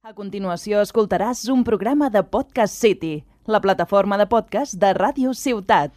A continuació escoltaràs un programa de Podcast City, la plataforma de podcast de Ràdio Ciutat.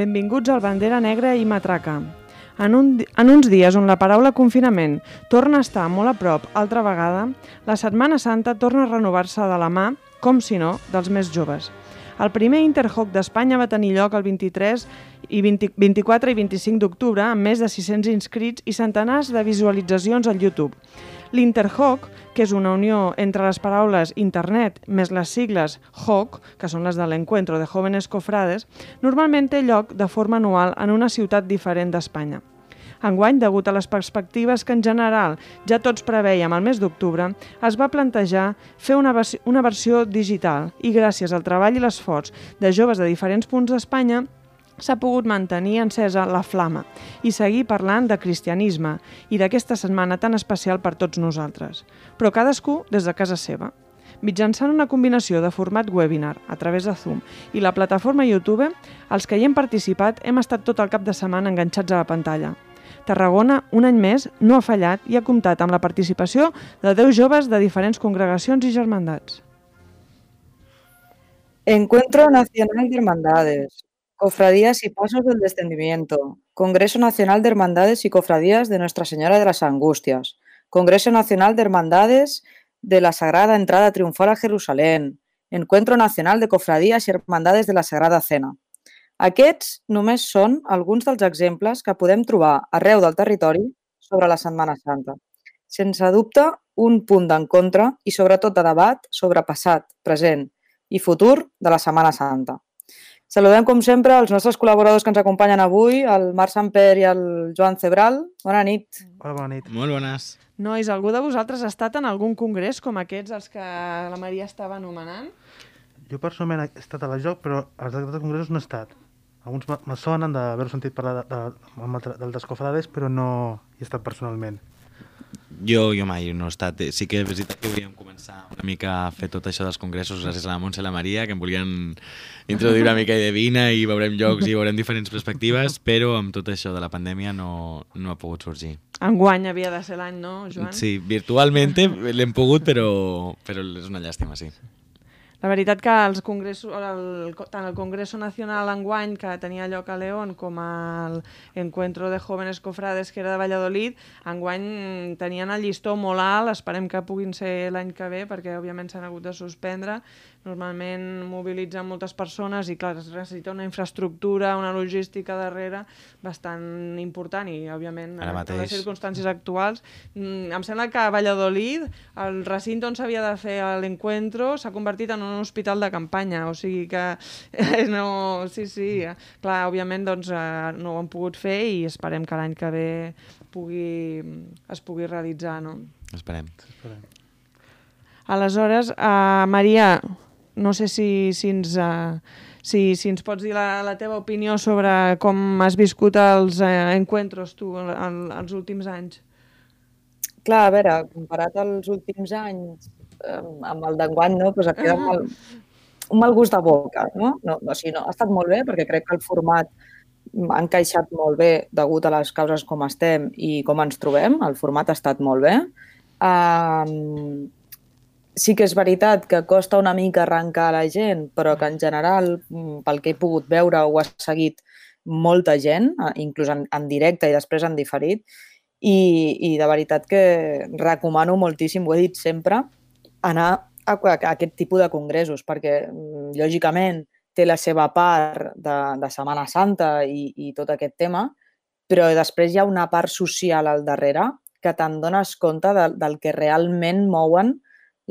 Benvinguts al Bandera Negra i Matraca. En uns dies on la paraula confinament torna a estar molt a prop altra vegada, la Setmana Santa torna a renovar-se de la mà, com si no, dels més joves. El primer Interhoc d'Espanya va tenir lloc el 24 i 25 d'octubre amb més de 600 inscrits i centenars de visualitzacions al YouTube. L'Interhoc, que és una unió entre les paraules internet més les sigles HOC, que són les de l'Encuentro de Jóvenes Cofrades, normalment té lloc de forma anual en una ciutat diferent d'Espanya. Enguany, degut a les perspectives que en general ja tots preveiem al mes d'octubre, es va plantejar fer una versió digital i gràcies al treball i l'esforç de joves de diferents punts d'Espanya s'ha pogut mantenir encesa la flama i seguir parlant de cristianisme i d'aquesta setmana tan especial per tots nosaltres, però cadascú des de casa seva. Mitjançant una combinació de format webinar a través de Zoom i la plataforma YouTube, els que hi hem participat hem estat tot el cap de setmana enganxats a la pantalla. Tarragona, un any més, no ha fallat i ha comptat amb la participació de 10 joves de diferents congregacions i germandats. Encuentro Nacional de Hermandades, Cofradías y Pasos del Descendimiento, Congreso Nacional de Hermandades y Cofradías de Nuestra Señora de las Angustias, Congreso Nacional de Hermandades de la Sagrada Entrada Triunfal a Jerusalén, Encuentro Nacional de Cofradías y Hermandades de la Sagrada Cena. Aquests només són alguns dels exemples que podem trobar arreu del territori sobre la Setmana Santa. Sense dubte, un punt d'encontre i sobretot de debat sobre passat, present i futur de la Setmana Santa. Saludem, com sempre, els nostres col·laboradors que ens acompanyen avui, el Marc Samper i el Joan Cebral. Bona nit. Hola, bona nit. Molt bones. Nois, algú de vosaltres ha estat en algun congrés com aquests, els que la Maria estava anomenant? Jo personalment he estat a la JOC, però als altres congressos no he estat. Alguns me sonen d'haver sentit parlar del Descofrades, però no hi he estat personalment. Jo mai no he estat. Sí que és veritat que volíem començar una mica a fer tot això dels congressos gràcies a la Montse i la Maria, que em volien introduir una mica de vina i veurem llocs i veurem diferents perspectives, però amb tot això de la pandèmia no ha pogut sorgir. Enguany havia de ser l'any, no, Joan? Sí, virtualment l'hem pogut, però és una llàstima, sí. La veritat que els congressos, tant el Congreso Nacional enguany, que tenia lloc a León, com l'Encuentro de Jóvenes Cofrades, que era de Valladolid, enguany tenien el llistó molt alt, esperem que puguin ser l'any que ve, perquè òbviament s'han hagut de suspendre. Normalment mobilitzen moltes persones i, clar, es necessita una infraestructura, una logística darrere bastant important i, òbviament, en les circumstàncies actuals. Em sembla que a Valladolid, el recinte on s'havia de fer l'encuentro s'ha convertit en un hospital de campanya, o sigui que no... Sí, clar, òbviament doncs, no ho han pogut fer i esperem que l'any que ve es pugui realitzar, no? Esperem. Aleshores, Maria, no sé si ens pots dir la teva opinió sobre com has viscut els encuentros tu els últims anys. Clar, a veure, comparat als últims anys amb el d'enguany, no? Pues et queda un mal gust de boca, no? O sigui, no, ha estat molt bé perquè crec que el format ha encaixat molt bé degut a les causes com estem i com ens trobem. El format ha estat molt bé. Sí que és veritat que costa una mica arrencar la gent, però que en general, pel que he pogut veure, ho ha seguit molta gent, inclús en directe i després en diferit, i de veritat que recomano moltíssim, ho he dit sempre, anar a aquest tipus de congressos, perquè lògicament té la seva part de Setmana Santa i tot aquest tema, però després hi ha una part social al darrere que te'n dones compte del que realment mouen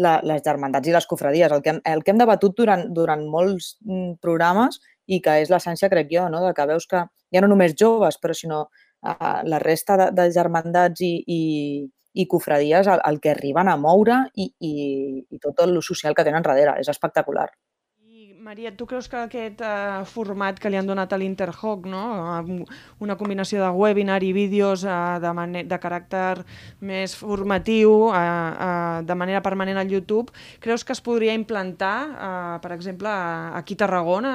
les germandats i les cofradies. El que hem debatut durant molts programes i que és l'essència, crec jo, no? De que veus que ja no només joves, però sinó la resta de germandats i cofradies el que arriben a moure i tot el social que tenen darrere. És espectacular. Maria, tu creus que aquest format que li han donat a l'Interhoc, no? Una combinació de webinar i vídeos de caràcter més formatiu, de manera permanent al YouTube, creus que es podria implantar, per exemple, aquí a Tarragona,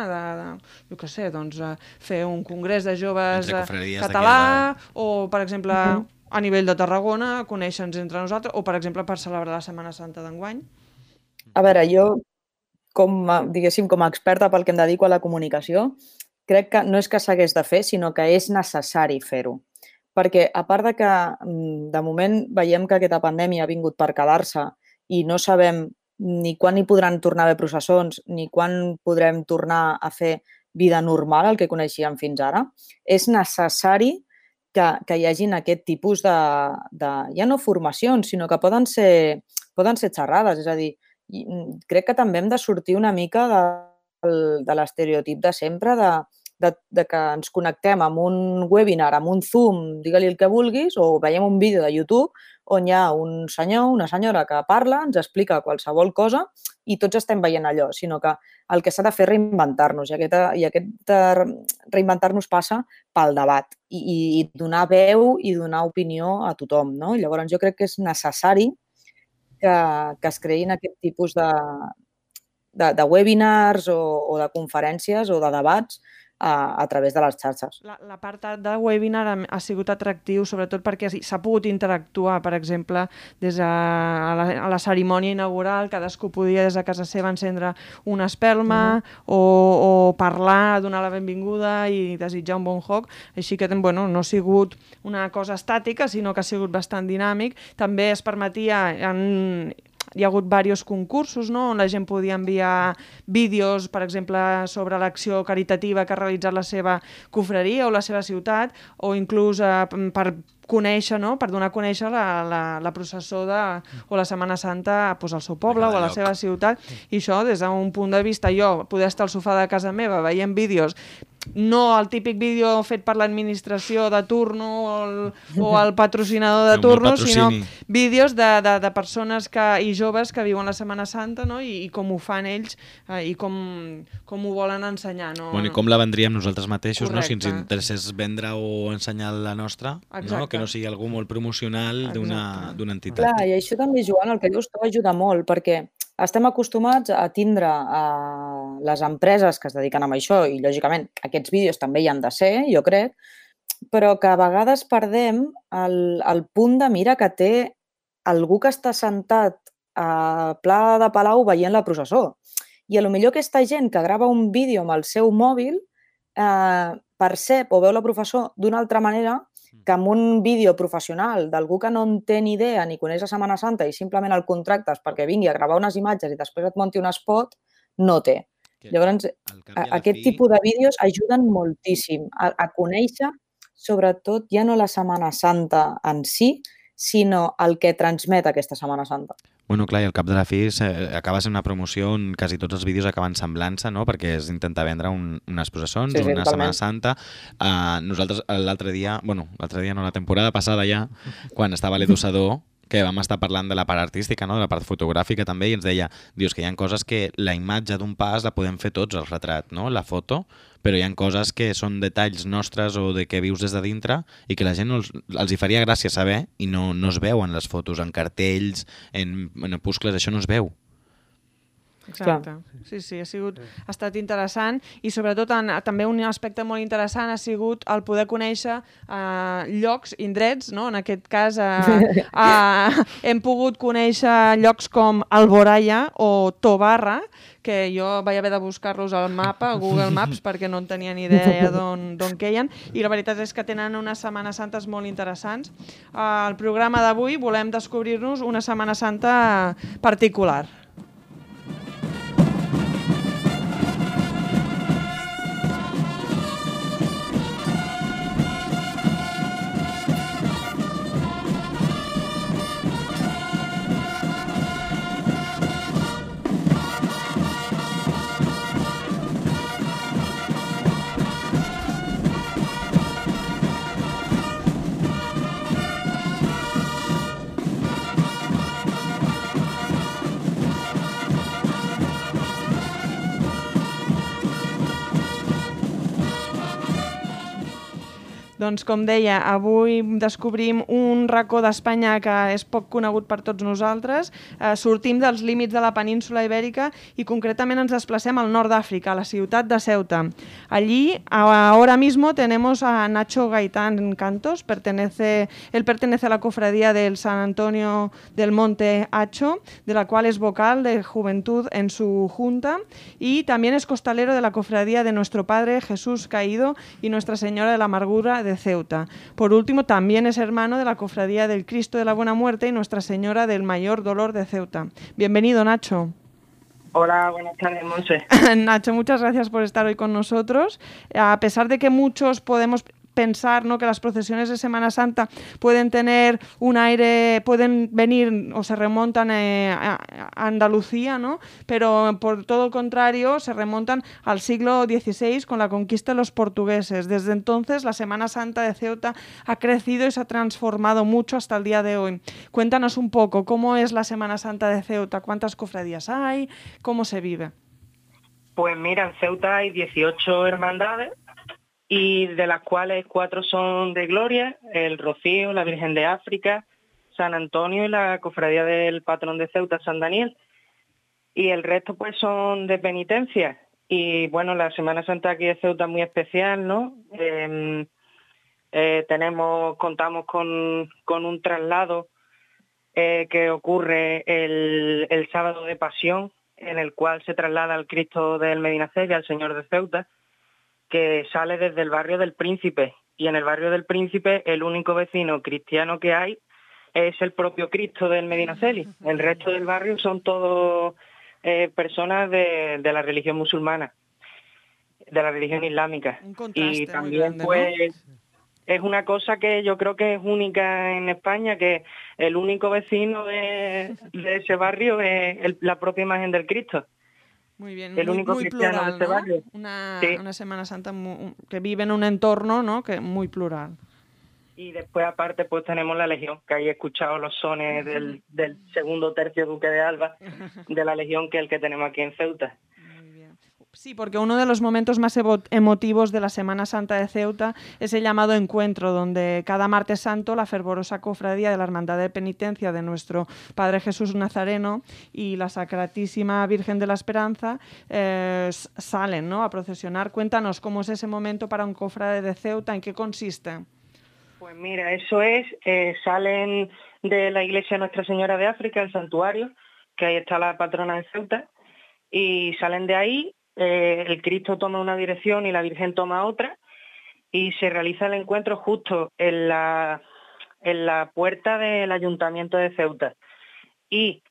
jo què sé, doncs, fer un congrés de joves català, o, per exemple, a nivell de Tarragona, conèixer-nos entre nosaltres, o, per exemple, per celebrar la Setmana Santa d'enguany? A veure, jo, com a experta pel que em dedico a la comunicació, crec que no és que s'hagués de fer, sinó que és necessari fer-ho. Perquè, a part de que, de moment, veiem que aquesta pandèmia ha vingut per quedar-se i no sabem ni quan hi podran tornar a haver processons, ni quan podrem tornar a fer vida normal, el que coneixíem fins ara, és necessari que hi hagin aquest tipus de ja no formacions, sinó que poden ser xerrades. És a dir, crec que també hem de sortir una mica de l'estereotip de sempre de que ens connectem amb un webinar, amb un Zoom, digue-li el que vulguis, o veiem un vídeo de YouTube on hi ha un senyor, una senyora que parla, ens explica qualsevol cosa i tots estem veient allò, sinó que el que s'ha de fer és reinventar-nos i aquest reinventar-nos passa pel debat i donar veu i donar opinió a tothom, no? Llavors jo crec que és necessari que es creïn aquest tipus de webinars o de conferències o de debats a través de les xarxes. L'apartat de webinar ha sigut atractiu, sobretot perquè s'ha pogut interactuar, per exemple, des de la cerimònia inaugural, cadascú podia des de casa seva encendre una espelma o parlar, donar la benvinguda i desitjar un bon joc. Així que no ha sigut una cosa estàtica, sinó que ha sigut bastant dinàmic. També es permetia... Hi ha hagut diversos concursos, no?, on la gent podia enviar vídeos, per exemple, sobre l'acció caritativa que ha realitzat la seva confraria o la seva ciutat, o inclús per conèixer, no?, per donar a conèixer la processó o la Setmana Santa al seu poble o a la seva ciutat. I això, des d'un punt de vista, jo poder estar al sofà de casa meva veient vídeos, no el típic vídeo fet per l'administració de turno o el patrocinador de turno, sinó vídeos de persones i joves que viuen la Setmana Santa, no?, i com ho fan ells i com ho volen ensenyar. I com la vendríem nosaltres mateixos, si ens interessés vendre o ensenyar la nostra, que no sigui algú molt promocional d'una entitat. Clar, i això també, Joan, el que dius tu ajuda molt, perquè estem acostumats a tindre les empreses que es dediquen a això i, lògicament, aquests vídeos també hi han de ser, jo crec, però que a vegades perdem el punt de mira que té algú que està sentat a Pla de Palau veient la processó. I potser aquesta gent que grava un vídeo amb el seu mòbil percep o veu la processó d'una altra manera que amb un vídeo professional d'algú que no en té ni idea ni coneix la Setmana Santa i simplement el contractes perquè vingui a gravar unes imatges i després et munti un spot, no té. Llavors, aquest tipus de vídeos ajuden moltíssim a conèixer, sobretot, ja no la Setmana Santa en si, sinó el que transmet aquesta Setmana Santa. Clar, i al cap de la fi acaba sent una promoció on quasi tots els vídeos acaben semblant-se, no?, perquè és intentar vendre unes processons, una Setmana Santa. Nosaltres l'altre dia, la temporada passada ja, quan estava l'Edu Sadó, que vam estar parlant de la part artística, no?, de la part fotogràfica també, i ens deia, dius que hi ha coses que la imatge d'un pas la podem fer tots, el retrat, no?, la foto, però hi ha coses que són detalls nostres o de que vius des de dintre i que la gent els hi faria gràcia saber i no es veu en les fotos, en cartells, en opuscles, això no es veu. Exacte. Sí, ha estat interessant i sobretot també un aspecte molt interessant ha sigut el poder conèixer llocs, indrets, no? En aquest cas hem pogut conèixer llocs com Alboraya o Tobarra, que jo vaig haver de buscar-los al mapa, a Google Maps, perquè no en tenia ni idea d'on queien, i la veritat és que tenen unes Setmanes Santes molt interessants. Al programa d'avui volem descobrir-nos una Setmana Santa particular. Doncs, com deia, avui descobrim un racó d'Espanya que és poc conegut per tots nosaltres. Sortim dels límits de la península Ibèrica i concretament ens desplacem al nord d'Àfrica, a la ciutat de Ceuta. Allí, ahora mismo, tenemos a Nacho Gaitán Cantos. Él pertenece a la cofradía del San Antonio del Monte Hacho, de la cual es vocal de Juventud en su junta, y también es costalero de la cofradía de Nuestro Padre Jesús Caído y Nuestra Señora de la Amargura de Ceuta. Por último, también es hermano de la cofradía del Cristo de la Buena Muerte y Nuestra Señora del Mayor Dolor de Ceuta. Bienvenido, Nacho. Hola, buenas tardes, Monse. Nacho, muchas gracias por estar hoy con nosotros. A pesar de que muchos podemos pensar, ¿no?, que las procesiones de Semana Santa pueden tener un aire, pueden venir o se remontan a Andalucía, ¿no?, pero por todo el contrario se remontan al siglo XVI con la conquista de los portugueses. Desde entonces la Semana Santa de Ceuta ha crecido y se ha transformado mucho hasta el día de hoy. Cuéntanos un poco cómo es la Semana Santa de Ceuta, cuántas cofradías hay, cómo se vive. Pues mira, en Ceuta hay 18 hermandades, y de las cuales 4 son de gloria: el Rocío, la Virgen de África, San Antonio y la cofradía del patrón de Ceuta, San Daniel. Y el resto pues son de penitencia. Y bueno, la Semana Santa aquí de Ceuta es muy especial, ¿no? Contamos con un traslado que ocurre el sábado de Pasión, en el cual se traslada al Cristo del Medinaceli, al Señor de Ceuta, que sale desde el barrio del Príncipe. Y en el barrio del Príncipe el único vecino cristiano que hay es el propio Cristo del Medinaceli. El resto del barrio son todos personas de la religión musulmana, de la religión islámica. Un contraste Y también muy grande, pues, ¿no? Es una cosa que yo creo que es única en España, que el único vecino de ese barrio es la propia imagen del Cristo. Muy bien, el único muy cristiano plural, de este ¿no? barrio. Sí. Una Semana Santa que vive en un entorno, ¿no?, que muy plural. Y después aparte pues tenemos la Legión, que ahí he escuchado los sones del segundo tercio Duque de Alba, de la Legión, que es el que tenemos aquí en Ceuta. Muy bien. Sí, porque uno de los momentos más emotivos de la Semana Santa de Ceuta es el llamado encuentro, donde cada martes santo la fervorosa cofradía de la Hermandad de Penitencia de Nuestro Padre Jesús Nazareno y la Sacratísima Virgen de la Esperanza salen, ¿no?, a procesionar. Cuéntanos cómo es ese momento para un cofrade de Ceuta, ¿en qué consiste? Pues mira, eso es, salen de la iglesia Nuestra Señora de África, el santuario, que ahí está la patrona de Ceuta, y salen de ahí. El Cristo toma una dirección y la Virgen toma otra, y se realiza el encuentro justo en la puerta del Ayuntamiento de Ceuta. Y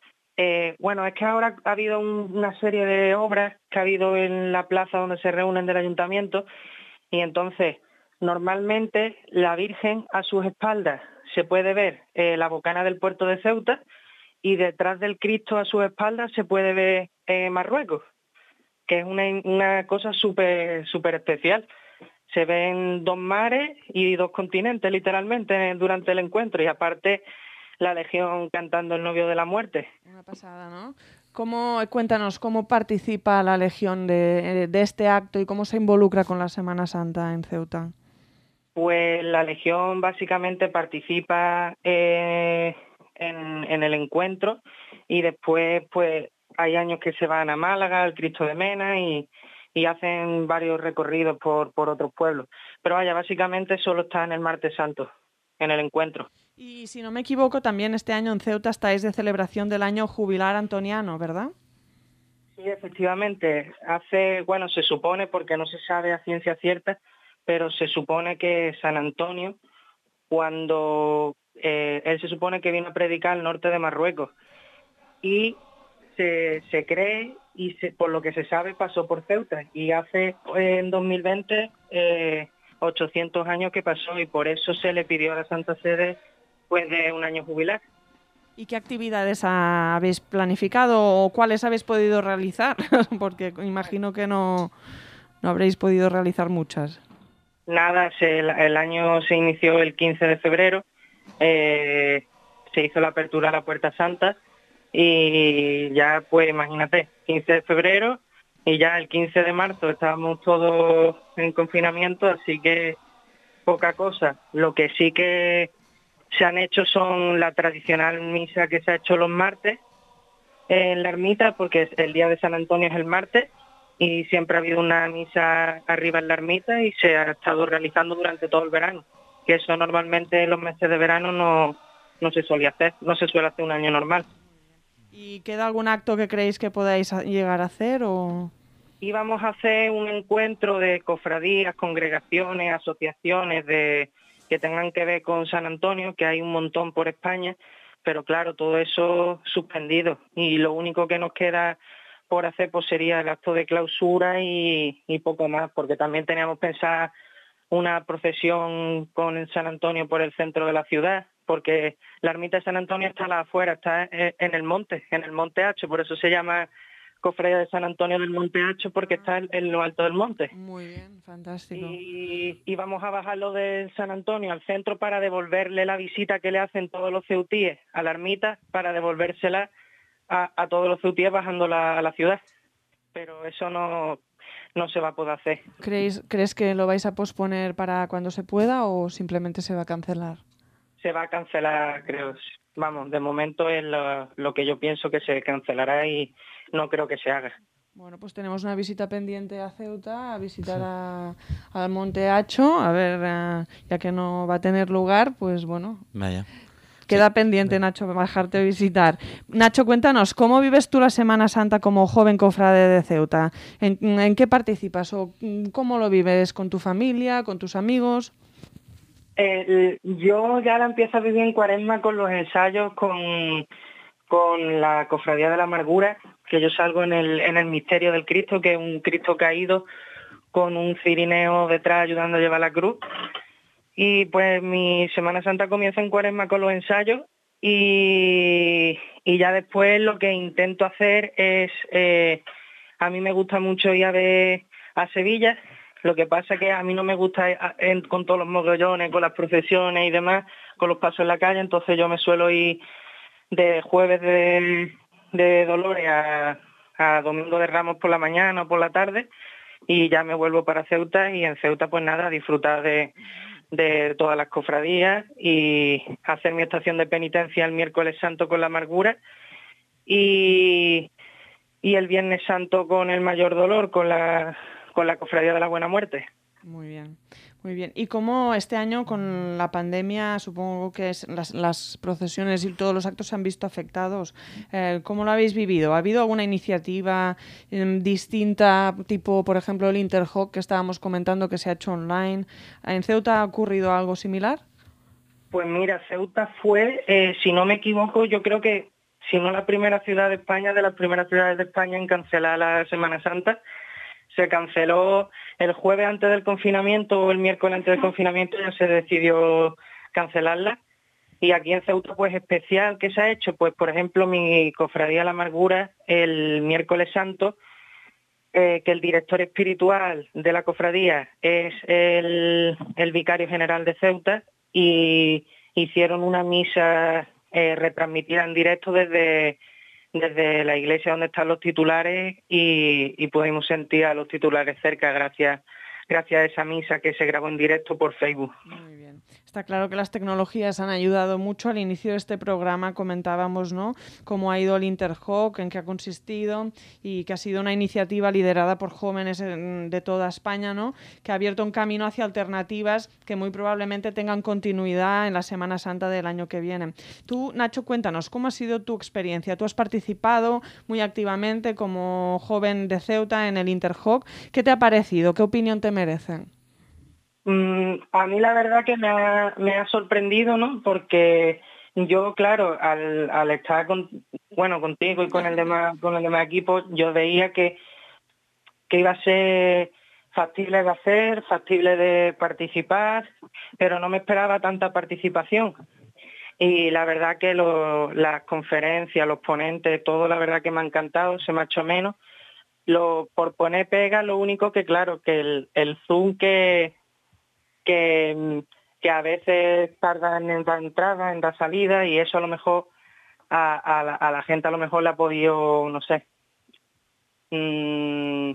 bueno, es que ahora ha habido una serie de obras que ha habido en la plaza donde se reúnen del Ayuntamiento, y entonces normalmente la Virgen, a sus espaldas se puede ver la bocana del puerto de Ceuta, y detrás del Cristo a sus espaldas se puede ver Marruecos, que es una cosa súper especial. Se ven 2 mares y 2 continentes, literalmente, durante el encuentro, y aparte la Legión cantando El Novio de la Muerte. Una pasada, ¿no? Cuéntanos, ¿cómo participa la Legión de este acto y cómo se involucra con la Semana Santa en Ceuta? Pues la Legión básicamente participa en el encuentro, y después pues hay años que se van a Málaga, al Cristo de Mena, y hacen varios recorridos por otros pueblos. Pero vaya, básicamente solo está en el Martes Santo, en el encuentro. Y si no me equivoco, también este año en Ceuta estáis de celebración del año jubilar antoniano, ¿verdad? Sí, efectivamente. Se supone, porque no se sabe a ciencia cierta, pero se supone que San Antonio, cuando él se supone que vino a predicar al norte de Marruecos, y se cree, y por lo que se sabe, pasó por Ceuta, y hace en 2020 800 años que pasó, y por eso se le pidió a la Santa Sede pues de un año jubilar. ¿Y qué actividades habéis planificado o cuáles habéis podido realizar? Porque imagino que no habréis podido realizar muchas. Nada, el año se inició el 15 de febrero, se hizo la apertura a la Puerta Santa, y ya pues imagínate, 15 de febrero, y ya el 15 de marzo estábamos todos en confinamiento, así que poca cosa. Lo que sí que se han hecho son la tradicional misa que se ha hecho los martes en la ermita, porque el día de San Antonio es el martes, y siempre ha habido una misa arriba en la ermita y se ha estado realizando durante todo el verano, que eso normalmente en los meses de verano no se suele hacer, no se suele hacer un año normal. ¿Y queda algún acto que creéis que podáis llegar a hacer o...? Íbamos a hacer un encuentro de cofradías, congregaciones, asociaciones que tengan que ver con San Antonio, que hay un montón por España, pero claro, todo eso suspendido. Y lo único que nos queda por hacer pues sería el acto de clausura y poco más, porque también teníamos pensado una procesión con el San Antonio por el centro de la ciudad, porque la ermita de San Antonio está a la afuera, está en el Monte Hacho, por eso se llama Cofradía de San Antonio del Monte Hacho, porque está en lo alto del monte. Muy bien, fantástico. Y vamos a bajarlo del San Antonio al centro para devolverle la visita que le hacen todos los ceutíes a la ermita, para devolvérsela a todos los ceutíes bajándola a la ciudad. Pero eso no se va a poder hacer. ¿Crees que lo vais a posponer para cuando se pueda o simplemente se va a cancelar? Se va a cancelar, creo. Vamos, de momento es lo que yo pienso que se cancelará y no creo que se haga. Bueno, pues tenemos una visita pendiente a Ceuta, a visitar al Monte Hacho, a ver, ya que no va a tener lugar, pues bueno. Vaya. Queda pendiente, Nacho, bajarte a visitar. Nacho, cuéntanos, ¿cómo vives tú la Semana Santa como joven cofrade de Ceuta? ¿En qué participas o cómo lo vives? ¿Con tu familia, con tus amigos? Yo ya la empiezo a vivir en Cuaresma con los ensayos, con la Cofradía de la Amargura, que yo salgo en el misterio del Cristo, que es un Cristo caído con un cirineo detrás ayudando a llevar la cruz. Y pues mi Semana Santa comienza en Cuaresma con los ensayos y ya después lo que intento hacer es, a mí me gusta mucho ir a ver a Sevilla. Lo que pasa que a mí no me gusta ir con todos los mogollones, con las procesiones y demás, con los pasos en la calle, entonces yo me suelo ir de jueves de Dolores a Domingo de Ramos por la mañana o por la tarde y ya me vuelvo para Ceuta y en Ceuta pues nada, disfrutar de todas las cofradías y hacer mi estación de penitencia el miércoles santo con la Amargura y el Viernes Santo con el Mayor Dolor, con la Cofradía de la Buena Muerte. Muy bien, muy bien. ¿Y cómo este año con la pandemia, supongo que las procesiones y todos los actos se han visto afectados? ¿Cómo lo habéis vivido? ¿Ha habido alguna iniciativa distinta, tipo, por ejemplo, el Interhoc que estábamos comentando que se ha hecho online? ¿En Ceuta ha ocurrido algo similar? Pues mira, Ceuta fue, si no me equivoco, yo creo que, si no la primera ciudad de España, de las primeras ciudades de España en cancelar la Semana Santa. Se canceló el jueves antes del confinamiento o el miércoles antes del confinamiento, ya se decidió cancelarla. Y aquí en Ceuta, pues especial, ¿qué se ha hecho? Pues, por ejemplo, mi Cofradía La Amargura, el miércoles santo, que el director espiritual de la cofradía es el vicario general de Ceuta, y hicieron una misa retransmitida en directo desde la iglesia donde están los titulares y pudimos sentir a los titulares cerca gracias a esa misa que se grabó en directo por Facebook. Muy bien. Está claro que las tecnologías han ayudado mucho. Al inicio de este programa comentábamos, ¿no?, cómo ha ido el Interhoc, en qué ha consistido y que ha sido una iniciativa liderada por jóvenes de toda España, ¿no?, que ha abierto un camino hacia alternativas que muy probablemente tengan continuidad en la Semana Santa del año que viene. Tú, Nacho, cuéntanos, ¿cómo ha sido tu experiencia? Tú has participado muy activamente como joven de Ceuta en el Interhoc. ¿Qué te ha parecido? ¿Qué opinión te merecen? A mí la verdad que me ha sorprendido, ¿no? Porque yo, claro, al estar contigo y con el demás equipo, yo veía que iba a ser factible de hacer, factible de participar, pero no me esperaba tanta participación. Y la verdad que las conferencias, los ponentes, todo la verdad que me ha encantado, se me ha hecho menos. Por poner pega, lo único que, claro, que el Zoom que a veces tardan en la entrada, en la salida, y eso a lo mejor a la gente a lo mejor le ha podido, no sé,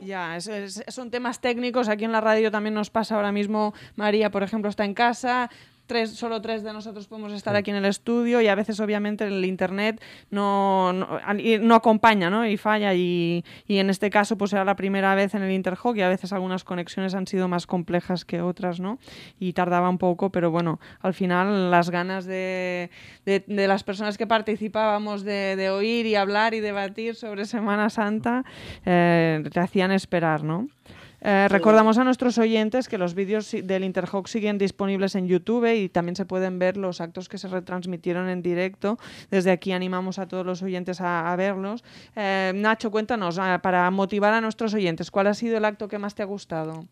Ya, son temas técnicos. Aquí en la radio también nos pasa ahora mismo. María, por ejemplo, está en casa. Solo 3 de nosotros podemos estar aquí en el estudio y a veces obviamente el internet no acompaña, ¿no? Y falla y en este caso pues era la primera vez en el Interhawk y a veces algunas conexiones han sido más complejas que otras, ¿no? Y tardaba un poco, pero bueno, al final las ganas de las personas que participábamos de oír y hablar y debatir sobre Semana Santa te hacían esperar, ¿no? Recordamos a nuestros oyentes que los vídeos del Interhawk siguen disponibles en YouTube y también se pueden ver los actos que se retransmitieron en directo. Desde aquí animamos a todos los oyentes a verlos. Nacho, cuéntanos, para motivar a nuestros oyentes, ¿cuál ha sido el acto que más te ha gustado?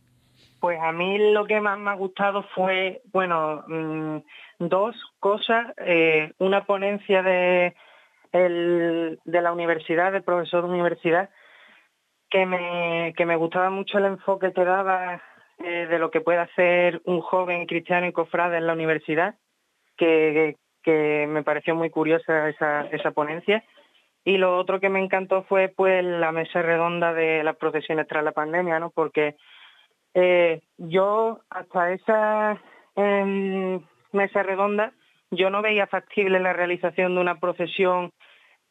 Pues a mí lo que más me ha gustado fue, dos cosas. Una ponencia de la universidad, del profesor de universidad, que me gustaba mucho el enfoque que daba de lo que puede hacer un joven cristiano y cofrade en la universidad, que me pareció muy curiosa esa ponencia. Y lo otro que me encantó fue pues la mesa redonda de las procesiones tras la pandemia, ¿no? Porque yo hasta esa mesa redonda yo no veía factible la realización de una procesión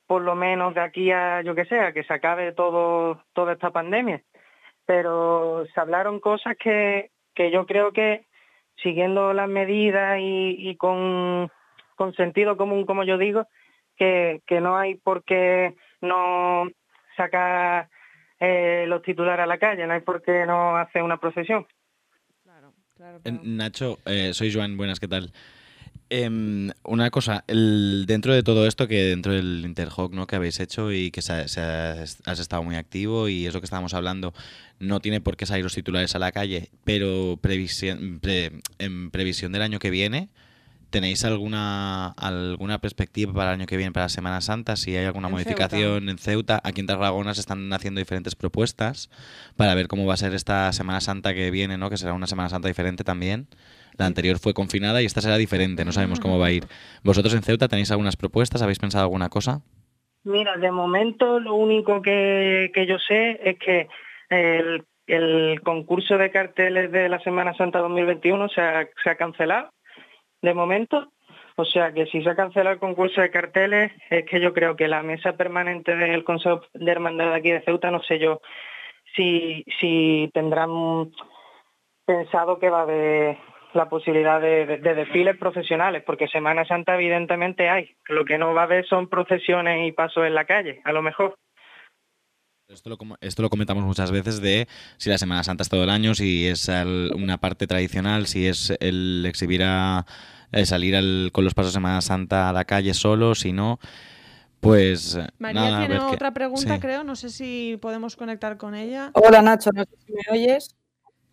por lo menos de aquí a, yo que sé, a que se acabe toda esta pandemia. Pero se hablaron cosas que yo creo que, siguiendo las medidas y con sentido común, como yo digo, que no hay por qué no sacar los titulares a la calle, no hay por qué no hacer una procesión. Claro. Nacho, soy Joan, buenas, ¿qué tal? Una cosa, dentro de todo esto, que dentro del Interhawk, ¿no?, que habéis hecho y que has estado muy activo y es lo que estábamos hablando, no tiene por qué salir los titulares a la calle, pero en previsión del año que viene, ¿tenéis alguna perspectiva para el año que viene, para Semana Santa? Si hay alguna modificación en Ceuta. Aquí en Tarragona se están haciendo diferentes propuestas para ver cómo va a ser esta Semana Santa que viene, ¿no?, que será una Semana Santa diferente también. La anterior fue confinada y esta será diferente, no sabemos cómo va a ir. ¿Vosotros en Ceuta tenéis algunas propuestas? ¿Habéis pensado alguna cosa? Mira, de momento lo único que yo sé es que el concurso de carteles de la Semana Santa 2021 se ha cancelado, de momento. O sea que si se ha cancelado el concurso de carteles, es que yo creo que la mesa permanente del Consejo de Hermandad de aquí de Ceuta, no sé yo si tendrán pensado que va a haber la posibilidad de desfiles profesionales, porque Semana Santa evidentemente hay. Lo que no va a haber son procesiones y pasos en la calle, a lo mejor. Esto lo comentamos muchas veces de si la Semana Santa es todo el año, si es una parte tradicional, si es el exhibir salir con los pasos de Semana Santa a la calle solo, si no, pues María nada, tiene otra pregunta, sí. Creo, no sé si podemos conectar con ella. Hola Nacho, no sé si me oyes.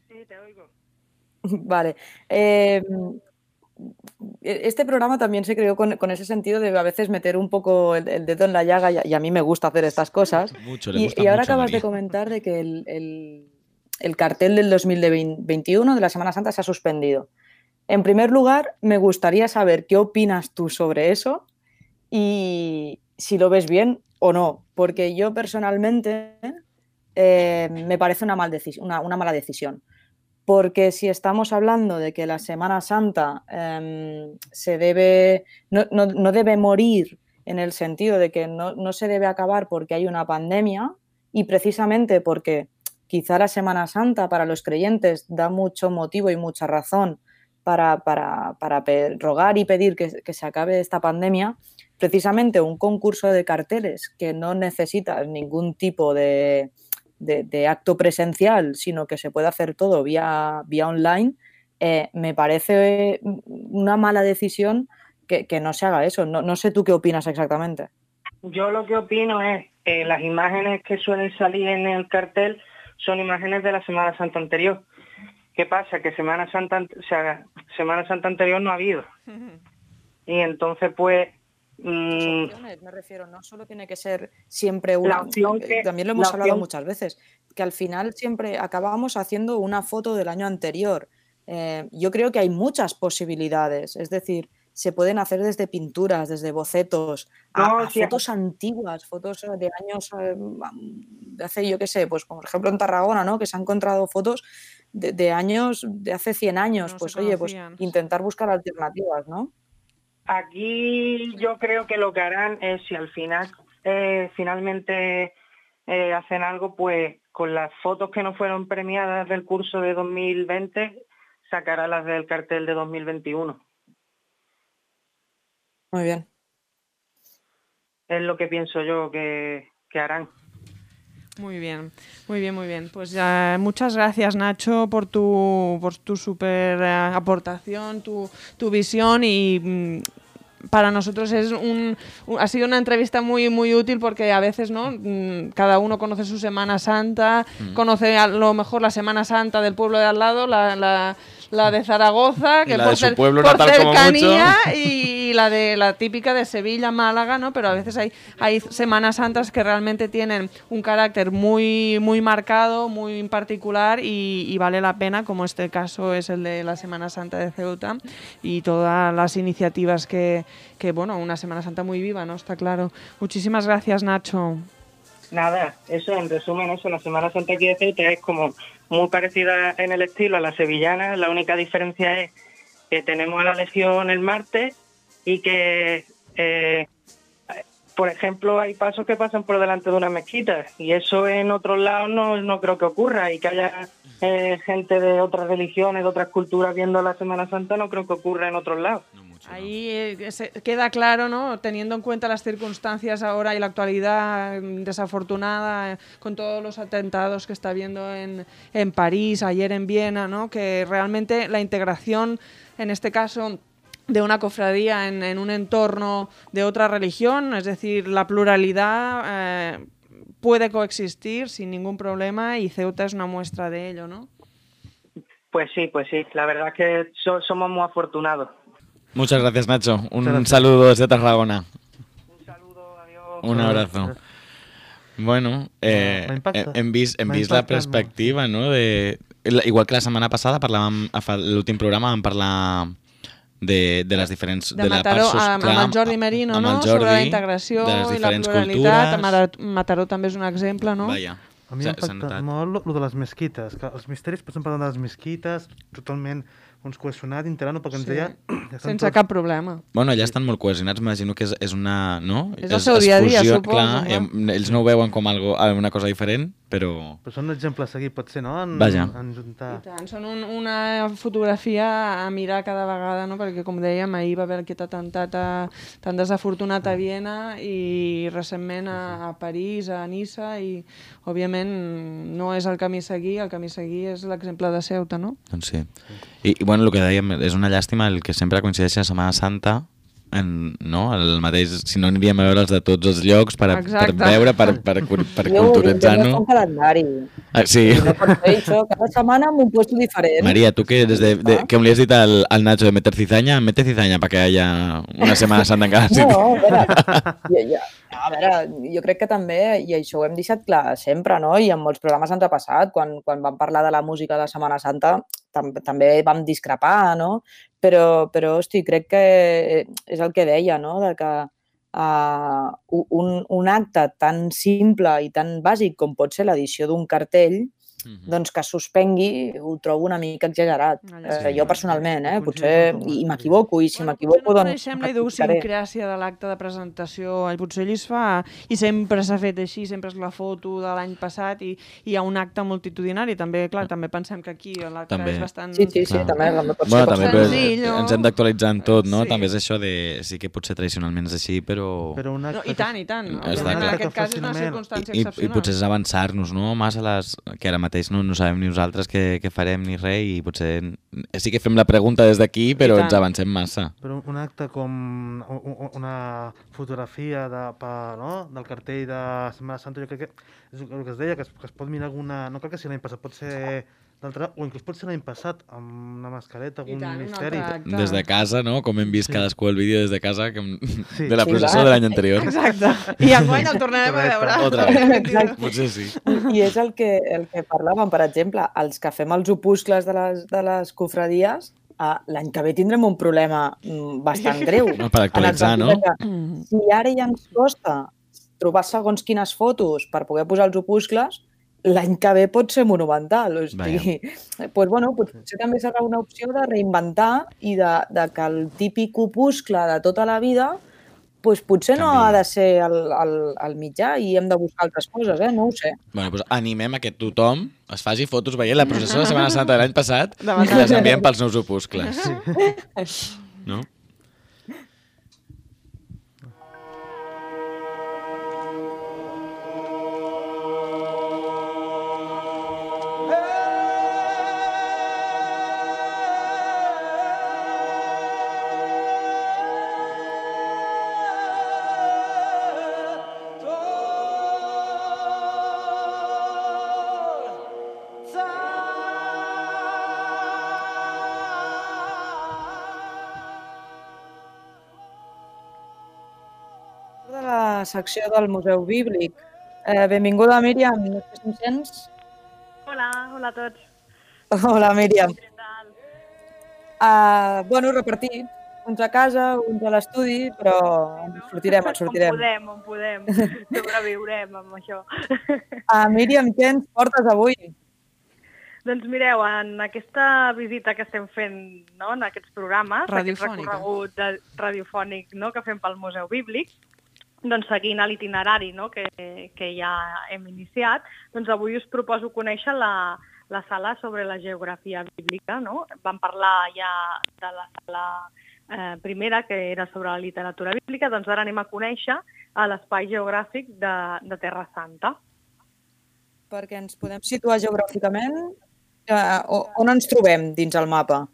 Sí, te oigo. Vale. Este programa también se creó con ese sentido de a veces meter un poco el dedo en la llaga y a mí me gusta hacer estas cosas. Y ahora acabas de comentar de que el cartel del 2021 de la Semana Santa se ha suspendido. En primer lugar, me gustaría saber qué opinas tú sobre eso y si lo ves bien o no, porque yo personalmente me parece una mala decisión. Porque si estamos hablando de que la Semana Santa no debe morir en el sentido de que no se debe acabar porque hay una pandemia y precisamente porque quizá la Semana Santa para los creyentes da mucho motivo y mucha razón para rogar y pedir que se acabe esta pandemia, precisamente un concurso de carteles que no necesita ningún tipo de acto presencial, sino que se puede hacer todo vía online, me parece una mala decisión que no se haga eso. No sé tú qué opinas exactamente. Yo lo que opino es las imágenes que suelen salir en el cartel son imágenes de la Semana Santa anterior. ¿Qué pasa? Que Semana Santa anterior no ha habido. Y entonces pues me refiero, no solo tiene que ser siempre una opción también lo hemos hablado muchas veces, que al final siempre acabamos haciendo una foto del año anterior. Yo creo que hay muchas posibilidades, es decir, se pueden hacer desde pinturas, desde bocetos, a fotos antiguas, fotos de años, de hace, yo qué sé, pues como por ejemplo en Tarragona, ¿no? Que se han encontrado fotos de años, de hace 100 años, pues oye, pues intentar buscar alternativas, ¿no? Aquí yo creo que lo que harán es, si al final finalmente hacen algo, pues con las fotos que no fueron premiadas del curso de 2020, sacará las del cartel de 2021. Muy bien. Es lo que pienso yo que harán. Muy bien, muy bien, muy bien. Pues muchas gracias, Nacho, por tu súper aportación, tu visión, y para nosotros ha sido una entrevista muy, muy útil, porque a veces, ¿no? Cada uno conoce su Semana Santa, conoce a lo mejor la Semana Santa del pueblo de al lado, la de Zaragoza, que por cercanía, y la típica de Sevilla, Málaga, ¿no? Pero a veces hay Semanas Santas que realmente tienen un carácter muy, muy marcado, muy particular, y vale la pena, como este caso es el de la Semana Santa de Ceuta, y todas las iniciativas que bueno, una Semana Santa muy viva, ¿no? Está claro. Muchísimas gracias, Nacho. Nada, eso en resumen, la Semana Santa aquí de Ceuta es como muy parecida en el estilo a la sevillana. La única diferencia es que tenemos a la Legión el martes y que, por ejemplo, hay pasos que pasan por delante de una mezquita, y eso en otros lados no creo que ocurra, y que haya gente de otras religiones, de otras culturas viendo la Semana Santa, no creo que ocurra en otros lados. Ahí queda claro, ¿no? Teniendo en cuenta las circunstancias ahora y la actualidad desafortunada, con todos los atentados que está habiendo en París, ayer en Viena, ¿no? Que realmente la integración, en este caso, de una cofradía en un entorno de otra religión, es decir, la pluralidad puede coexistir sin ningún problema, y Ceuta es una muestra de ello, ¿no? Pues sí, la verdad es que somos muy afortunados. Muchas gracias, Nacho. Un saludo desde Tarragona. Un saludo, adiós. Un abrazo. Bueno, hem vist la perspectiva, no? Igual que la setmana passada, l'últim programa vam parlar de les diferents... De Mataró, amb el Jordi Merino, no? Sobre la integració i la pluralitat. Mataró també és un exemple, no? Vaja. A mi m'impacta molt el de les mesquites, que els misteris, per exemple, de les mesquites, totalment cohesionat, integrant-ho, perquè ens deia... Sense cap problema. Bueno, allà estan molt cohesionats, m'imagino que és una... No? És el seu dia a dia, suposo. Clar, ells no ho veuen com una cosa diferent, però... Però són un exemple a seguir, pot ser, no? Vaja. En juntar... I tant, són una fotografia a mirar cada vegada, no? Perquè, com dèiem, ahir va haver aquest atemptat tan desafortunat a Viena, i recentment a París, a Niça, i, òbviament, no és el camí a seguir és l'exemple de Ceuta, no? Doncs sí. I bueno, el que dèiem, és una llàstima el que sempre coincideix a Setmana Santa, no? El mateix, si no aniríem a veure els de tots els llocs per veure, per culturitzar-nos. Jo un calendari. Sí. No pot fer això, cada setmana en un puesto diferent. María, tú que que me le has dicho al Nacho de meter cizaña, mete cizaña para que haya una Semana Santa en cada sitio. No, a veure, jo crec que també, i això ho hem deixat clar sempre, no? I en molts programes ens ha passat, quan vam parlar de la música de la Setmana Santa, també vam discrepar, no? Però hosti, crec que és el que deia, no? De que un acte tan simple i tan bàsic com pot ser l'edició d'un cartell, doncs que suspengui, ho trobo una mica exagerat. Jo personalment, potser, i m'equivoco, i si m'equivoco, doncs... No coneixem la idiosincràsia de l'acte de presentació, potser allí es fa, i sempre s'ha fet així, sempre és la foto de l'any passat, i hi ha un acte multitudinari, també, clar, també pensem que aquí l'acte és bastant... Sí, també pot ser senzill. Ens hem d'actualitzar en tot, no? També és això de... Sí que potser tradicionalment és així, però... I tant. En aquest cas és una circumstància excepcional. I potser és avançar-nos, no? Massa que ara mateix no sabem ni nosaltres què farem ni res, i potser sí que fem la pregunta des d'aquí, però ens avancem massa. Però un acte com una fotografia del cartell de Setmana Santa, jo crec que és el que es deia, que es pot mirar alguna... No cal que sigui l'any passat, pot ser d'altre, o inclús pot ser l'any passat, amb una mascareta, algun misteri. Des de casa, no? Com hem vist cadascú el vídeo des de casa de la processó de l'any anterior. Exacte. I enguany el tornarem a veure. Otra vegada. Potser sí. I és el que parlàvem, per exemple, els que fem els opuscles de les cofradies, l'any que ve tindrem un problema bastant greu. No, per actualitzar, no? Si ara ja ens costa trobar segons quines fotos per poder posar els opuscles, l'any que ve pot ser monumental. O sigui, potser també serà una opció de reinventar i de que el típic opuscle de tota la vida potser no ha de ser el mitjà i hem de buscar altres coses, no ho sé. Bueno, doncs animem a que tothom es faci fotos veient la processó de Setmana Santa de l'any passat i les enviem pels nous opuscles. No? De la secció del Museu Bíblic. Benvinguda, Míriam. No sé si em sents? Hola a tots. Hola, Míriam. Què tal? Repartir. Uns a casa, uns a l'estudi, però ens sortirem. On podem. Sobreviurem amb això. Míriam, què ens portes avui? Doncs mireu, en aquesta visita que estem fent, no, en aquests programes, aquest recorregut radiofònic, no, que fem pel Museu Bíblic, doncs seguint l'itinerari, no, que ja hem iniciat, doncs avui us proposo conèixer la sala sobre la geografia bíblica. No? Vam parlar ja de la sala primera, que era sobre la literatura bíblica, doncs ara anem a conèixer l'espai geogràfic de Terra Santa. Perquè ens podem situar geogràficament, on ens trobem dins el mapa?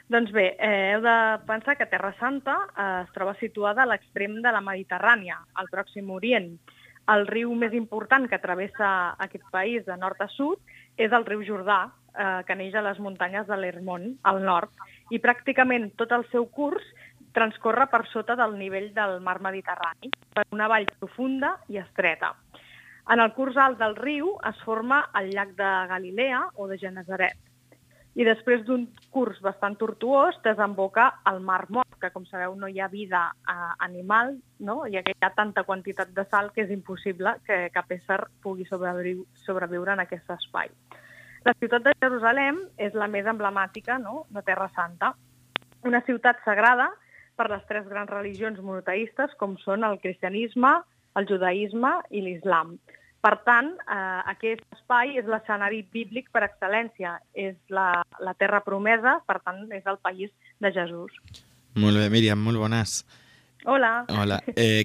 Doncs bé, heu de pensar que Terra Santa es troba situada a l'extrem de la Mediterrània, al Pròxim Orient. El riu més important que travessa aquest país de nord a sud és el riu Jordà, que neix a les muntanyes de l'Hermont, al nord, i pràcticament tot el seu curs transcorre per sota del nivell del mar Mediterrani, per una vall profunda i estreta. En el curs alt del riu es forma el llac de Galilea o de Genesaret. I després d'un curs bastant tortuós desemboca al Mar Mort, que com sabeu no hi ha vida animal, no? Ja que hi ha tanta quantitat de sal que és impossible que cap ésser pugui sobreviure en aquest espai. La ciutat de Jerusalem és la més emblemàtica, no?, de Terra Santa, una ciutat sagrada per les tres grans religions monoteistes com són el cristianisme, el judaïsme i l'islam. Per tant, aquest espai és l'escenari bíblic per excel·lència, és la terra promesa, per tant, és el país de Jesús. Molt bé, Míriam, molt bones. Hola. Hola.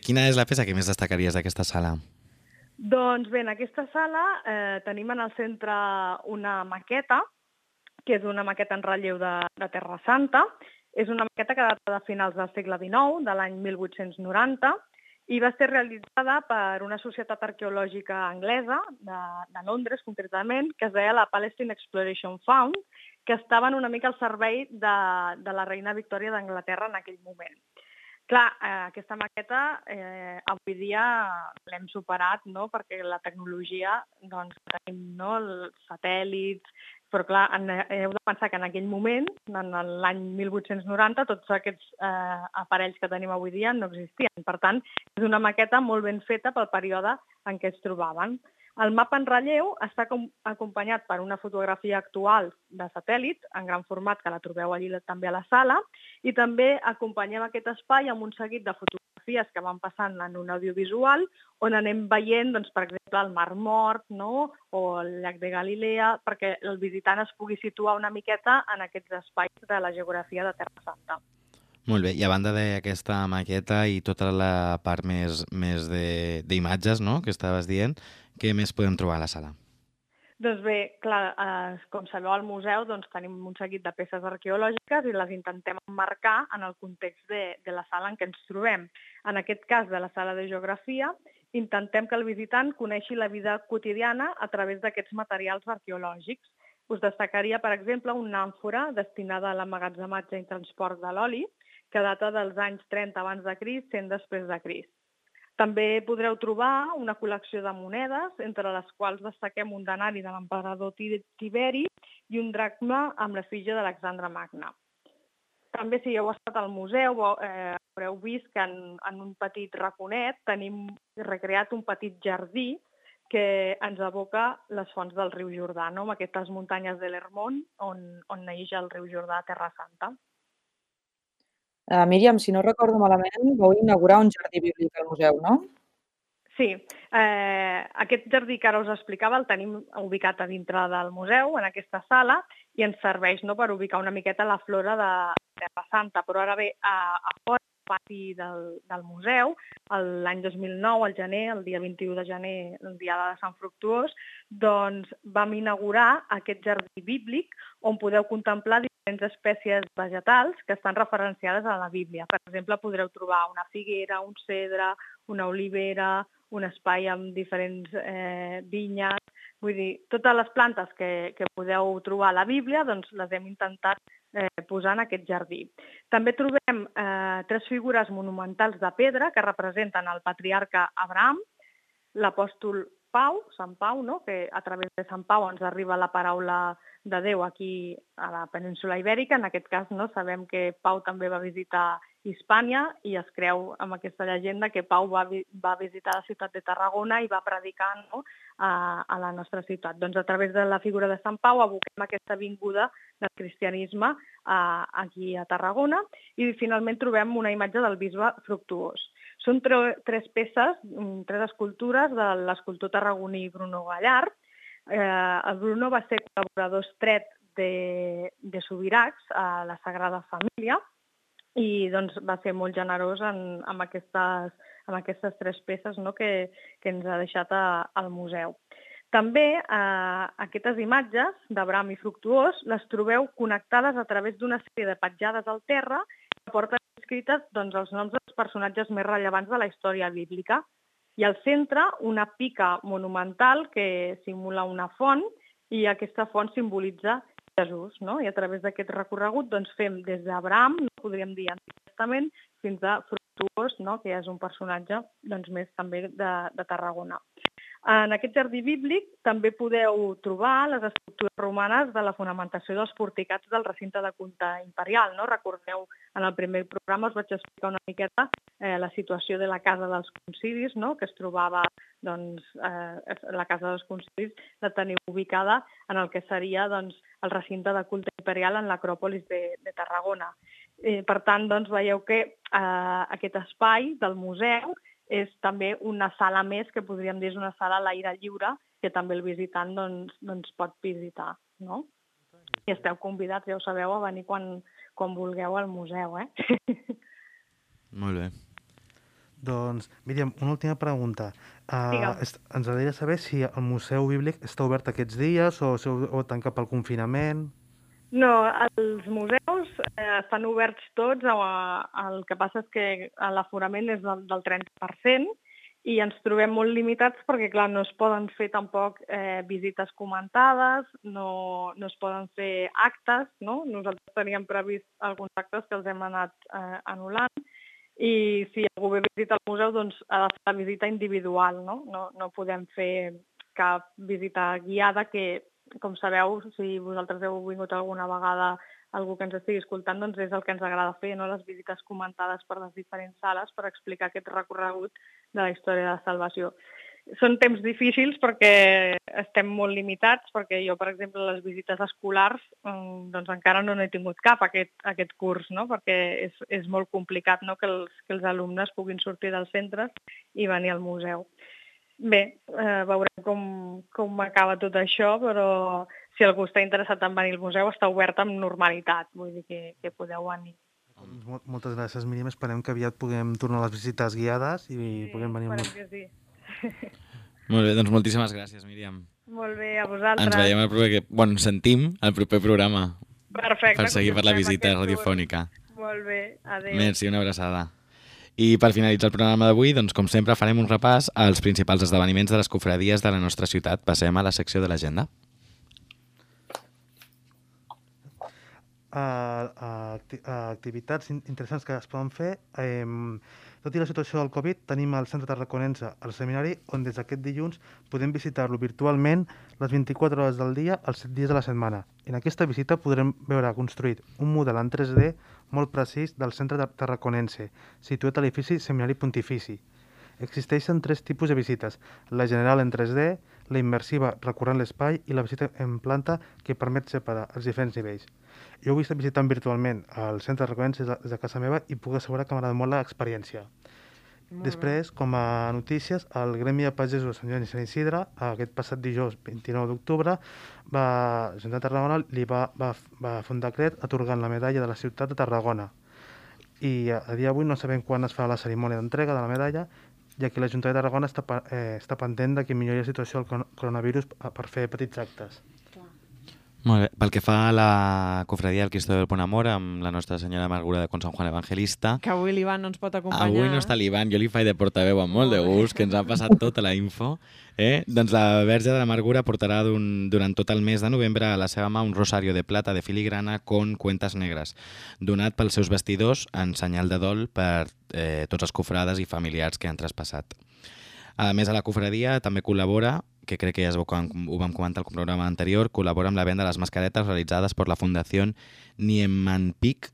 Quina és la peça que més destacaries d'aquesta sala? Doncs bé, en aquesta sala tenim en el centre una maqueta, que és una maqueta en relleu de Terra Santa. És una maqueta que data de finals del segle XIX, de l'any 1890, i va ser realitzada per una societat arqueològica anglesa, de Londres concretament, que es deia la Palestine Exploration Fund, que estaven una mica al servei de la reina Victòria d'Anglaterra en aquell moment. Clar, aquesta maqueta avui dia l'hem superat, no?, perquè la tecnologia, doncs, tenim, no?, els satèl·lits, però clar, heu de pensar que en aquell moment, en l'any 1890, tots aquests aparells que tenim avui dia no existien. Per tant, és una maqueta molt ben feta pel període en què es trobaven. El mapa en relleu està acompanyat per una fotografia actual de satèl·lit, en gran format, que la trobeu allí també a la sala, i també acompanyem aquest espai amb un seguit de fotografies que van passant en un audiovisual, on anem veient, doncs, per exemple, el Mar Mort, no?, o el llac de Galilea, perquè el visitant es pugui situar una miqueta en aquests espais de la geografia de Terra Santa. Molt bé, i a banda d'aquesta maqueta i tota la part més d'imatges, no?, que estaves dient, què més podem trobar a la sala? Doncs bé, clar, com sabeu al museu doncs, tenim un seguit de peces arqueològiques i les intentem emmarcar en el context de la sala en què ens trobem. En aquest cas, de la sala de geografia, intentem que el visitant coneixi la vida quotidiana a través d'aquests materials arqueològics. Us destacaria, per exemple, una àmfora destinada a l'emmagatzematge i transport de l'oli, que data dels anys 30 abans de Crist, 100 després de Crist. També podreu trobar una col·lecció de monedes, entre les quals destaquem un denari de l'emperador Tiberi i un dracma amb l'efígie d'Alexandre Magne. També, si heu estat al museu, haureu vist que en un petit raconet tenim recreat un petit jardí que ens evoca les fonts del riu Jordà, no? Amb aquestes muntanyes de l'Hermont on neix el riu Jordà a Terra Santa. Míriam, si no recordo malament, vau inaugurar un jardí bíblic al museu, no? Sí, aquest jardí que ara us explicava el tenim ubicat a dintre del museu, en aquesta sala, i ens serveix per ubicar una miqueta la flora de Terra Santa. Però ara bé, a fora del pati del museu, l'any 2009, al gener, el dia 21 de gener, el dia de Sant Fructuós, doncs vam inaugurar aquest jardí bíblic on podeu contemplar diferents espècies vegetals que estan referenciades a la Bíblia. Per exemple, podreu trobar una figuera, un cedre, una olivera, un espai amb diferents vinyes. Vull dir, totes les plantes que podeu trobar a la Bíblia, doncs les hem intentat posar en aquest jardí. També trobem 3 figures monumentals de pedra que representen el patriarca Abraham, l'apòstol Pau, Sant Pau, no? Que a través de Sant Pau ens arriba la paraula de Déu aquí a la península Ibèrica. En aquest cas, no? Sabem que Pau també va visitar Hispània i es creu amb aquesta llegenda que Pau va visitar la ciutat de Tarragona i va predicar, no? a la nostra ciutat. Doncs a través de la figura de Sant Pau aboquem aquesta vinguda del cristianisme aquí a Tarragona i finalment trobem una imatge del bisbe Fructuós. Són 3 peces, 3 escultures de l'escultor tarragoní Bruno Gallard. El Bruno va ser col·laborador estret de Subirachs a la Sagrada Família i doncs, va ser molt generós amb aquestes 3 peces, no? que ens ha deixat al museu. També aquestes imatges d'Abraham i Fructuós les trobeu connectades a través d'una sèrie de petjades al terra que porten escrites doncs, els noms dels personatges més rellevants de la història bíblica. I al centre una pica monumental que simula una font i aquesta font simbolitza Jesús, no? I a través d'aquest recorregut doncs, fem des d'Abraham, no podríem dir Antic Testament, fins a Fructuós, no? Que és un personatge doncs, més també de Tarragona. En aquest jardí bíblic també podeu trobar les estructures romanes de la fonamentació dels porticats del recinte de culte imperial. No? Recordeu, en el primer programa us vaig explicar una miqueta la situació de la Casa dels Concilis, no? Que es trobava, doncs, la Casa dels Concilis la teniu ubicada en el que seria doncs, el recinte de culte imperial en l'Acròpolis de Tarragona. Per tant, doncs, veieu que aquest espai del museu és també una sala més, que podríem dir és una sala a l'aire lliure, que també el visitant doncs, pot visitar. No? I esteu convidats, ja ho sabeu, a venir quan vulgueu al museu. Molt bé. Doncs, Míriam, una última pregunta. Ens agradaria saber si el Museu Bíblic està obert aquests dies o tancat pel confinament. No, els museus estan oberts tots, el que passa és que l'aforament és del 30% i ens trobem molt limitats perquè, clar, no es poden fer tampoc visites comentades, no es poden fer actes, no? Nosaltres teníem previst alguns actes que els hem anat anul·lant i si algú ve a visitar el museu, doncs ha de fer la visita individual, no? No podem fer cap visita guiada que, com sabeu, si vosaltres heu vingut alguna vegada algú que ens estigui escoltant, doncs és el que ens agrada fer, no? Les visites comentades per les diferents sales per explicar aquest recorregut de la història de la salvació. Són temps difícils perquè estem molt limitats, perquè jo, per exemple, les visites escolars doncs encara no n'he tingut cap aquest curs, no? Perquè és molt complicat, no? que els alumnes puguin sortir dels centres i venir al museu. Bé, veurem com acaba tot això, però si algú està interessat en venir al museu està obert amb normalitat, vull dir que podeu venir. Moltes gràcies, Míriam. Esperem que aviat puguem tornar a les visites guiades i puguem venir al museu. Sí. Molt bé, doncs moltíssimes gràcies, Míriam. Molt bé, a vosaltres. Ens veiem ens sentim al proper programa. Perfecte. Per seguir per la visita radiofònica. Molt bé, adéu. Merci, una abraçada. I per finalitzar el programa d'avui, doncs, com sempre, farem un repàs als principals esdeveniments de les cofradies de la nostra ciutat. Passem a la secció de l'agenda. activitats interessants que es poden fer. Tot i la situació del Covid, tenim al Centre Tarraconense el seminari, on des d'aquest dilluns podem visitar-lo virtualment les 24 hores del dia, els 7 dies de la setmana. En aquesta visita podrem veure construït un model en 3D molt precís del Centre Tarraconense, situat a l'edifici Seminari Pontifici. Existeixen 3 tipus de visites: la general en 3D, la immersiva recorrent l'espai i la visita en planta, que permet separar els diferents nivells. Jo ho he estat visitant virtualment al Centre Tarraconense des de casa meva i puc assegurar que m'ha agradat molt l'experiència. Després, com a notícies, el Gremi de Pagesos de Sant Joan i Sant Isidre, aquest passat dijous 29 d'octubre, la Generalitat de Tarragona li va fer un decret atorgant la medalla de la ciutat de Tarragona. I a dia d'avui no sabem quan es fa la cerimònia d'entrega de la medalla, ja que l'Ajuntament de Tarragona està pendent de que millori la situació del coronavirus per fer petits actes. Molt bé. Pel que fa a la cofradia del Cristo del Bon Amor amb la Nostra Senyora Amargura de Con Sant Juan Evangelista... Que avui l'Ivan no ens pot acompanyar. Avui no està l'Ivan, jo li faig de portaveu amb molt de gust, que ens ha passat tota la info. Doncs la Verge de l'Amargura portarà durant tot el mes de novembre a la seva mà un rosario de plata de filigrana con cuentas negres, donat pels seus vestidors en senyal de dol per tots els cofrades i familiars que han traspassat. A més, a la cofradia també col·labora, que crec que ja ho vam comentar al programa anterior, col·labora amb la venda de les mascaretes realitzades per la Fundació Niemann-Pick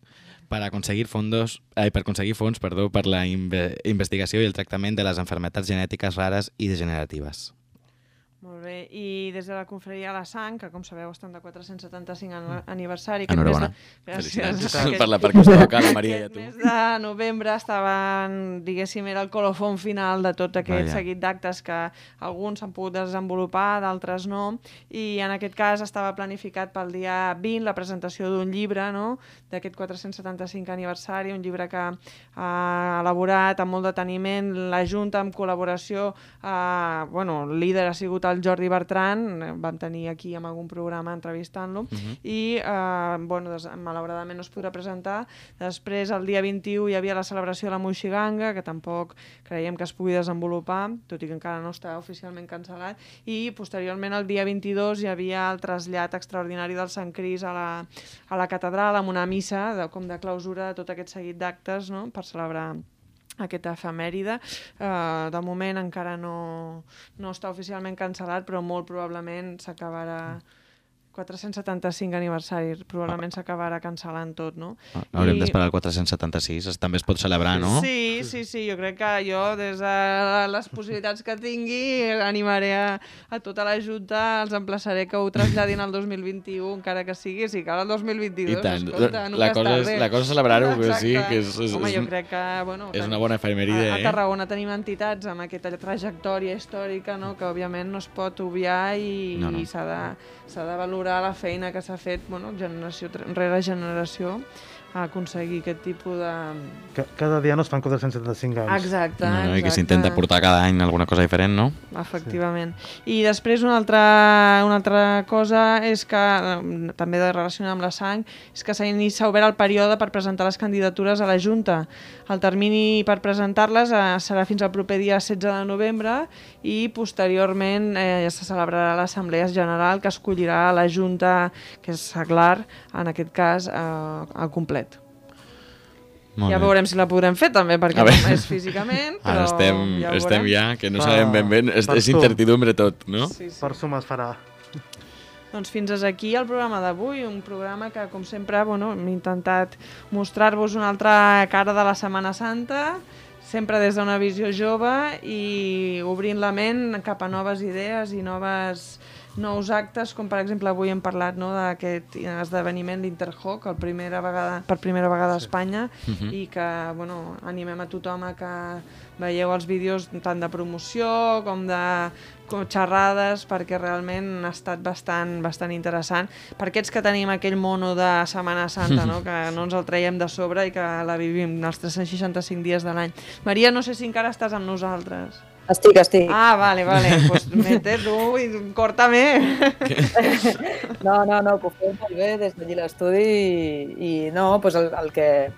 per conseguir fons per la investigació i el tractament de les malalties genètiques rares i degeneratives. Molt bé, i des de la Confraria de la Sang, que com sabeu estan de 475 aniversari... Enhorabona. Gràcies. Per la part que us toca, la Maria i a tu. El mes de novembre estaven, diguéssim, era el colofón final de tot aquest seguit d'actes que alguns s'han pogut desenvolupar, d'altres no, i en aquest cas estava planificat pel dia 20 la presentació d'un llibre, no?, d'aquest 475 aniversari, un llibre que ha elaborat amb molt deteniment la Junta en col·laboració, el líder ha sigut el Jordi Bertran, vam tenir aquí amb algun programa entrevistant-lo, i malauradament no es podrà presentar. Després, el dia 21, hi havia la celebració de la Moixiganga, que tampoc creiem que es pugui desenvolupar, tot i que encara no està oficialment cancel·lat, i posteriorment, el dia 22, hi havia el trasllat extraordinari del Sant Cris a la catedral, amb una missa com de clausura de tot aquest seguit d'actes, no?, per celebrar aquesta efemèride. De moment encara no està oficialment cancel·lat, però molt probablement s'acabarà... 475 aniversari, probablement s'acabarà cancel·lant tot, no? Haurem d'esperar el 476, també es pot celebrar, no? Sí, jo crec que jo, des de les possibilitats que tingui, animaré a tota la Junta, els emplaçaré que ho traslladin al 2021, encara que sigui, si cal el 2022, I tant. Escolta, la cosa és celebrar-ho, que sí, que home, jo crec que, és una bona efemèride, a Tarragona tenim entitats amb aquesta trajectòria històrica, no?, que òbviament no es pot obviar i s'ha de valorar la feina que s'ha fet, generació rere generació, a aconseguir aquest tipus de... Cada dia no es fan 475 anys. Exacte. I que s'intenta portar cada any alguna cosa diferent, no? Efectivament. I després una altra cosa és que, també de relacionar amb la sang, és que s'ha obert el període per presentar les candidatures a la Junta. El termini per presentar-les serà fins al proper dia 16 de novembre i posteriorment ja se celebrarà l'Assemblea General que escollirà la Junta, que és seglar, en aquest cas, al complet. Ja veurem si la podrem fer també, perquè no és físicament, però ara estem ja, que no sabem ben bé, és incertidumbre tot, no? Sí. Per suma es farà. Doncs fins aquí el programa d'avui, un programa que, com sempre, hem intentat mostrar-vos una altra cara de la Setmana Santa, sempre des d'una visió jove i obrint la ment cap a noves idees i nous actes, com per exemple avui hem parlat d'aquest esdeveniment d'Interhoc, per primera vegada a Espanya, i que animem a tothom a que veieu els vídeos tant de promoció com de xerrades, perquè realment ha estat bastant interessant per aquests que tenim aquell mono de Setmana Santa, que no ens el traiem de sobre i que la vivim els 365 dies de l'any. Maria, no sé si encara estàs amb nosaltres. Estic. Ah, vale, pues mete tu i córtame. No, que ho fem molt bé des d'allí l'estudi i pues el que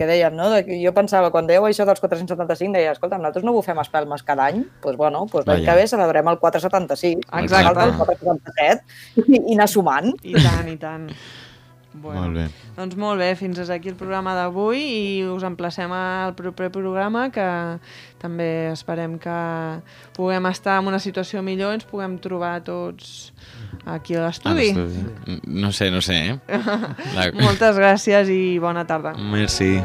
dèiem, no? Jo pensava, quan dèieu això dels 475, deia, escolta, nosaltres no bufem espelmes cada any, doncs l'any que ve celebrem el 476, exacte, el 477 i anar sumant. I tant. Bueno, Molt bé. doncs molt bé, fins aquí el programa d'avui i us emplacem al proper programa, que també esperem que puguem estar en una situació millor i ens puguem trobar tots aquí a l'estudi. No sé, Moltes gràcies i bona tarda. Merci.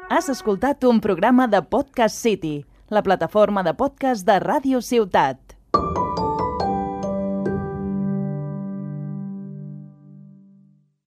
Has escoltat un programa de Podcast City, la plataforma de podcast de Ràdio Ciutat.